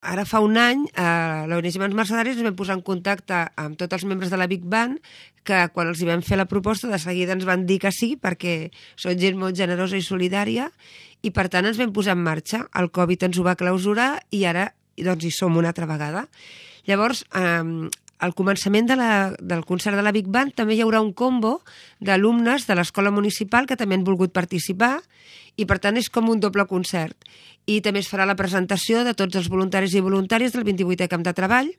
ara fa un any, l'ONG Mans Mercedaris ens vam posar en contacte amb tots els membres de la Big Band, que quan els hi vam fer la proposta de seguida ens van dir que sí, perquè són gent molt generosa i solidària, i per tant ens vam posar en marxa. El Covid ens ho va clausurar i ara doncs, hi som una altra vegada. Llavors, al començament del concert de la Big Band també hi haurà un combo d'alumnes de l'escola municipal que també han volgut participar i per tant és com un doble concert. I també es farà la presentació de tots els voluntaris i voluntàries del 28è Camp de Treball,